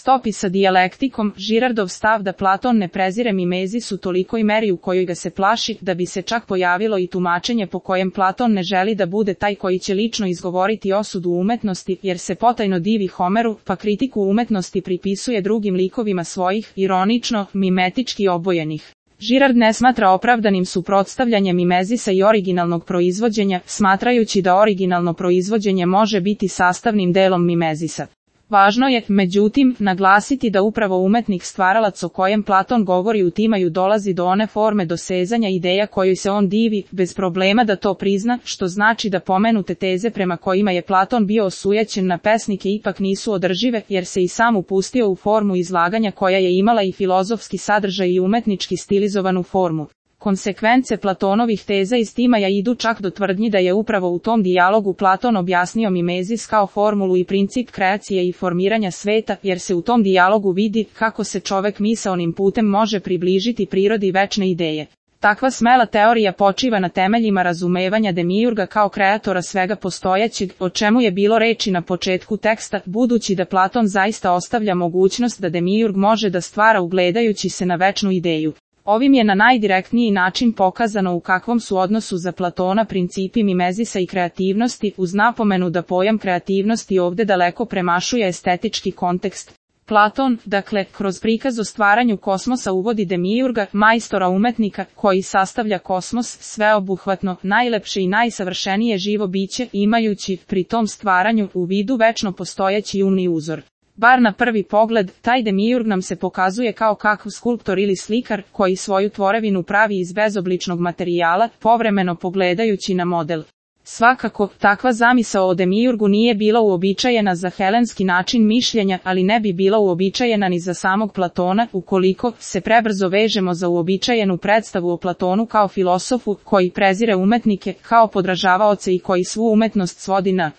stopi sa dijalektikom, Girardov stav da Platon ne prezire Mimezis u tolikoj meri u kojoj ga se plaši, da bi se čak pojavilo i tumačenje po kojem Platon ne želi da bude taj koji će lično izgovoriti osudu umetnosti, jer se potajno divi Homeru, pa kritiku umetnosti pripisuje drugim likovima svojih, ironično, mimetički obojenih. Girard ne smatra opravdanim suprotstavljanje Mimezisa i originalnog proizvođenja, smatrajući da originalno proizvođenje može biti sastavnim delom Mimezisa. Važno je, međutim, naglasiti da upravo umetnik stvaralac o kojem Platon govori u Timaju dolazi do one forme dosezanja ideja kojoj se on divi, bez problema da to prizna, što znači da pomenute teze prema kojima je Platon bio osujećen na pesnike ipak nisu održive, jer se i sam upustio u formu izlaganja koja je imala i filozofski sadržaj i umetnički stilizovanu formu. Konsekvence Platonovih teza iz Timaja idu čak do tvrdnji da je upravo u tom dijalogu Platon objasnio Mimezis kao formulu i princip kreacije i formiranja sveta, jer se u tom dijalogu vidi kako se čovek misaonim putem može približiti prirodi večne ideje. Takva smela teorija počiva na temeljima razumevanja Demiurga kao kreatora svega postojećeg, o čemu je bilo reči na početku teksta, budući da Platon zaista ostavlja mogućnost da Demiurg može da stvara ugledajući se na večnu ideju. Ovim je na najdirektniji način pokazano u kakvom su odnosu za Platona principi Mimezisa i kreativnosti, uz napomenu da pojam kreativnosti ovde daleko premašuje estetički kontekst. Platon, dakle, kroz prikaz o stvaranju kosmosa uvodi Demiurga, majstora umetnika, koji sastavlja kosmos, sveobuhvatno, najlepše i najsavršenije živo biće, imajući, pri tom stvaranju, u vidu večno postojeći umni uzor. Bar na prvi pogled, taj Demiurg nam se pokazuje kao kakav skulptor ili slikar, koji svoju tvorevinu pravi iz bezobličnog materijala, povremeno pogledajući na model. Svakako, takva zamisao o Demiurgu nije bila uobičajena za helenski način mišljenja, ali ne bi bila uobičajena ni za samog Platona, ukoliko se prebrzo vežemo za uobičajenu predstavu o Platonu kao filosofu, koji prezire umetnike, kao podražavaoce i koji svu umetnost svodi na